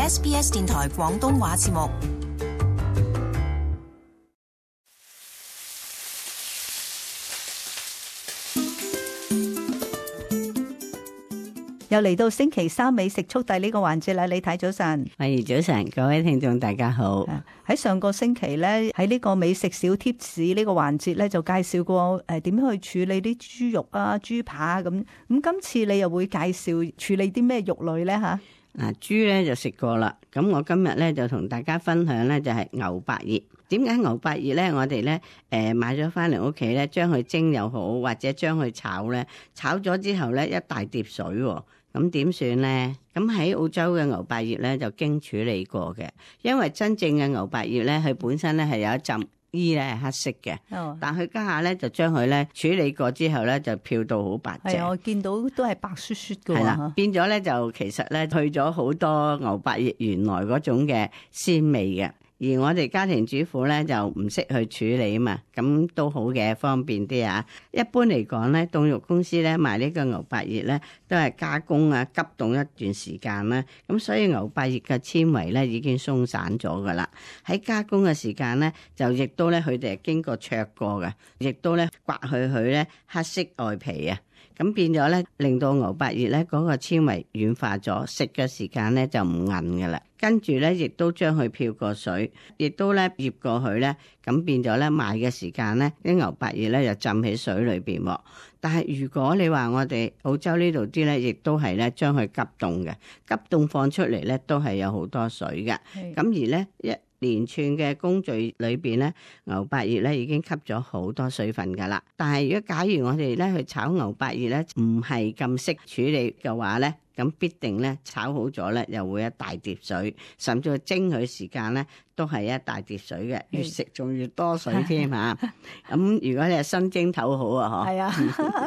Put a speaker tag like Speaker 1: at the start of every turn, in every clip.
Speaker 1: SBS 電台廣東話節目。
Speaker 2: 又嚟到星期三美食速遞呢個環節啦，李太早晨。
Speaker 3: 係早晨，各位聽眾大家好。
Speaker 2: 喺上個星期咧，喺呢個美食小貼士呢個環節咧，就介紹過點樣去處理啲豬肉啊、豬扒咁。咁今次你又會介紹處理啲咩肉類咧吓？
Speaker 3: 豬咧就食過啦。咁我今日咧就同大家分享咧就係牛百葉。點解牛百葉咧？我哋咧買咗翻嚟屋企咧，將佢蒸又好，或者將佢炒咧，炒咗之後咧一大碟水喎。咁點算呢？咁喺澳洲嘅牛百葉咧就經處理過嘅，因為真正嘅牛百葉咧，佢本身咧係有一浸衣咧係黑色嘅，但佢家下咧就將佢咧處理過之後咧就漂到好白淨。
Speaker 2: 係，我見到都係白雪雪嘅。
Speaker 3: 係啦，變咗咧就其實咧去咗好多牛百葉原來嗰種嘅鮮味嘅。而我哋家庭主婦咧就唔識去處理啊嘛，咁都好嘅，方便啲啊。一般嚟講咧，凍肉公司咧賣呢個牛百葉咧都係加工啊，急凍一段時間啦，咁所以牛百葉嘅纖維咧已經鬆散咗噶啦。喺加工嘅時間咧，就亦都咧佢哋係經過焯過嘅，亦都咧刮去佢咧黑色外皮啊。咁變咗咧，令到牛百葉咧嗰個纖維軟化咗，食嘅時間咧就唔韌㗎啦。跟住咧，亦都將佢漂過水，亦都咧醃過去咧，咁變咗咧賣嘅時間咧，啲牛百葉咧就浸喺水裏邊喎。但係如果你話我哋澳洲呢度啲咧，亦都係咧將佢急凍嘅，急凍放出嚟咧都係有好多水嘅。咁而咧一連串嘅工序裏邊咧，牛百葉咧已經吸咗好多水分噶啦。但係如果假如我哋咧去炒牛百葉咧，唔係咁識處理嘅話咧，咁必定咧炒好咗咧，又會一大碟水，甚至蒸佢時間咧都係一大碟水嘅，越食仲越多水添嚇。咁如果你係新蒸頭好啊，
Speaker 2: 係啊，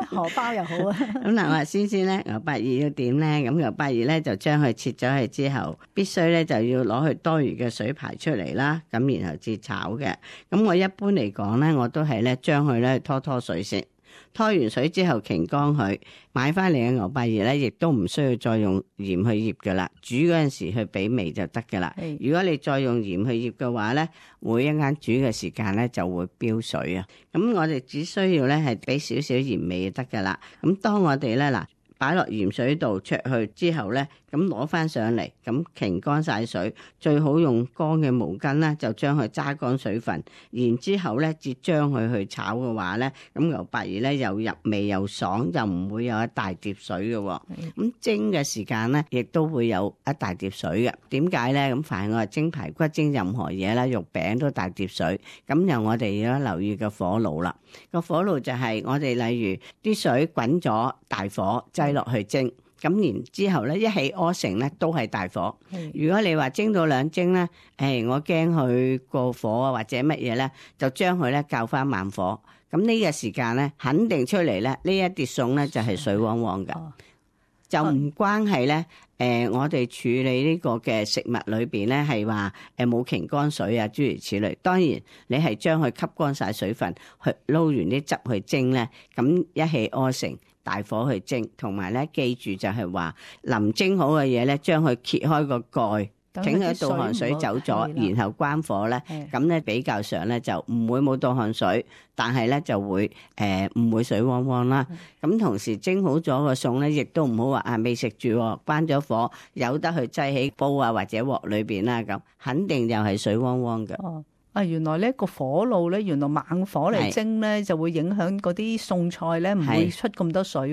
Speaker 2: 荷包又好啊。
Speaker 3: 咁嗱，我話先咧，牛百葉要點咧？咁牛百葉咧就將佢切咗去之後，必須咧就要攞去多餘嘅水排出嚟啦。咁然後至炒嘅。咁我一般嚟講咧，我都係咧將佢咧拖水先。拖完水之後擎乾佢，買翻嚟嘅牛百葉咧，亦都唔需要再用鹽去醃噶啦。煮嗰陣時去俾味就得噶啦。如果你再用鹽去醃嘅話咧，每一間煮嘅時間咧就會飆水啊。咁我哋只需要咧係俾少少鹽味就得噶啦。咁當我哋咧擺落鹽水度焯去之後咧，咁攞翻上嚟，咁擎乾晒水，最好用乾嘅毛巾啦，就將佢揸乾水分，然之後咧，至將佢去炒嘅話咧，咁牛百葉咧又入味又爽，又唔會有一大碟水嘅。咁蒸嘅時間咧，亦都會有一大碟水嘅。點解咧？咁凡係我係蒸排骨、蒸任何嘢啦，肉餅都大碟水。咁由我哋要留意個火爐啦。個火爐就係我哋例如啲水滾咗，大火擠落去蒸。咁然之後咧，一起屙成咧都係大火。如果你話蒸到兩蒸咧，我驚佢過火啊或者乜嘢咧，就將佢咧較翻慢火。咁呢個時間咧，肯定出嚟咧，呢一碟餸咧就係水汪汪嘅，就唔關係咧。我哋處理呢個嘅食物裏邊咧，係話冇擎乾水啊，諸如此類。當然你係將佢吸乾晒水分，去撈完啲汁去蒸咧，咁一氣呵成大火去蒸，同埋咧記住就係話臨蒸好嘅嘢咧，將佢揭開個蓋。整佢倒汗水走咗，然後關火咧，咁咧比較上咧就唔會冇倒汗水，但係咧就會唔會水汪汪啦。咁同時蒸好咗個餸咧，亦都唔好話未食住，關咗火，由得佢擠喺煲啊或者鑊裏邊啦，咁肯定又係水汪汪嘅。
Speaker 2: 原來呢個火爐咧，原來猛火嚟蒸咧，就會影響嗰啲餸菜咧，唔會出咁多水。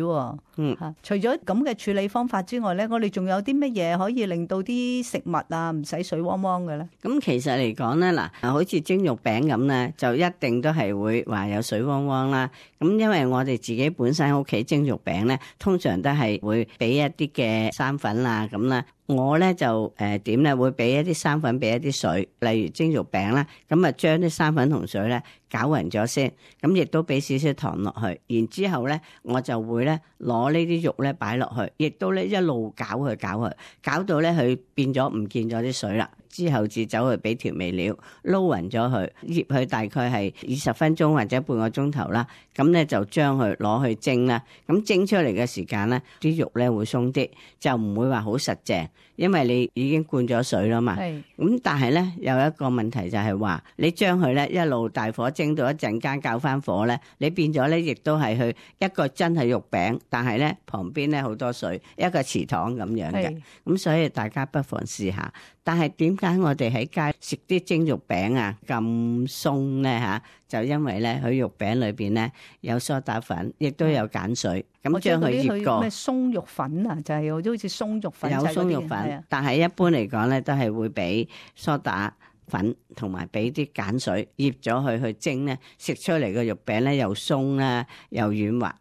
Speaker 2: 除咗咁嘅處理方法之外咧，我哋仲有啲乜嘢可以令到啲食物啊唔使水汪汪嘅咧？
Speaker 3: 咁其實嚟講咧，好似蒸肉餅咁咧，就一定都係會話有水汪汪啦。咁因為我哋自己本身屋企蒸肉餅咧，通常都係會俾一啲嘅生粉啊咁啦。我咧就點咧會俾一啲生粉，俾一啲水，例如蒸肉餅啦，咁啊將啲生粉同水咧攪勻咗先，咁亦都俾少少糖落去，然之後咧我就會咧攞呢啲肉咧擺落去，亦都咧一路攪佢，攪到咧佢變咗唔見咗啲水啦。之後至走去俾調味料撈勻咗佢，醃佢大概係20分鐘或者半個鐘頭啦。咁咧就將佢攞去蒸啦。咁蒸出嚟嘅時間咧，啲肉咧會鬆啲，就唔會話好實淨。因為你已經灌咗水啦嘛。咁但係咧有一個問題就係話，你將佢咧一路大火蒸到一陣間較翻火咧，你變咗咧亦都係去一個真係肉餅，但係咧旁邊咧好多水，一個祠堂咁樣嘅。咁所以大家不妨試下。但係點解我哋喺街食啲蒸肉餅啊咁鬆咧嚇？就因為咧佢肉餅裏邊咧有梳打粉，亦都有鹼水，咁將佢醃過。咩
Speaker 2: 鬆肉粉啊？就係好似鬆肉粉。有
Speaker 3: 鬆肉粉，但係一般嚟講咧都係會俾梳打粉同埋俾啲鹼水醃咗佢去蒸咧，食出嚟嘅肉餅咧又鬆啦又軟滑。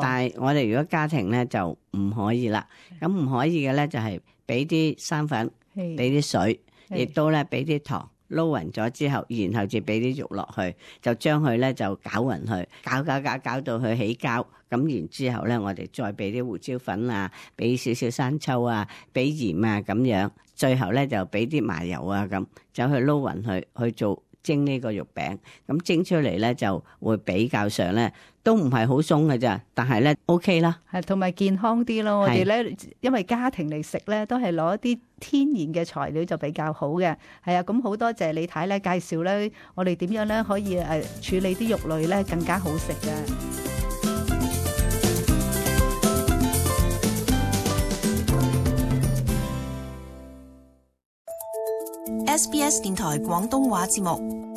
Speaker 3: 但係我哋如果家庭咧就唔可以啦。咁唔可以嘅咧就係俾啲生粉。俾啲水，亦都咧俾啲糖撈勻咗之後，然後至俾啲肉落去，就將佢咧就攪勻佢，攪到佢起膠。咁然之後咧，我哋再俾啲胡椒粉啊，俾少少生抽啊，俾鹽啊咁樣，最後咧就俾啲麻油啊咁，就去撈勻佢去做蒸呢個肉餅。咁蒸出嚟咧就會比較上咧都唔係好鬆嘅咋，但係咧 OK 啦，
Speaker 2: 係同埋健康啲咯。我哋咧因為家庭嚟食咧，都係攞一啲天然嘅材料就比較好嘅。係啊，咁好多謝李太咧介紹咧，我哋點樣咧可以處理啲肉類咧更加好食嘅。
Speaker 1: SBS 電台廣東話節目。